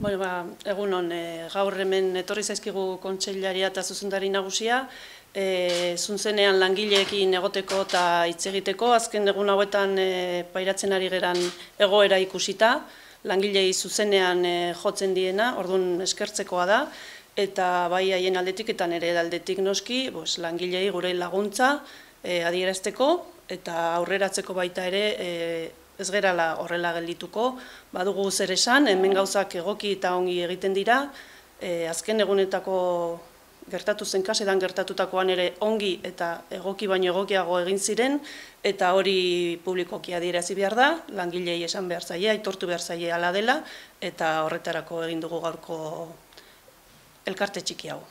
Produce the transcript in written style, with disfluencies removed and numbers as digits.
Egun hon, gaur hemen etorri zaizkigu kontseilaria eta zuzendari nagusia, zuzenean langileekin egoteko eta hitz egiteko, azken egun hauetan pairatzen ari geran egoera ikusita, langilei zuzenean jotzen diena, orduan eskertzekoa da, eta bai haien aldetik eta nire aldetik noski, langilei gure laguntza adierazteko eta aurreratzeko baita ere ez gerala horrela geldituko, badugu zer esan, hemen gauzak egoki eta ongi egiten dira, azken egunetako gertatu zen kasetan gertatutakoan ere ongi eta egoki baino egokiago egin ziren, eta hori publikoki adierazi behar da, langilei esan behar zaie, aitortu behar zaie hala dela, eta horretarako egin dugu gaurko elkarte txiki hau.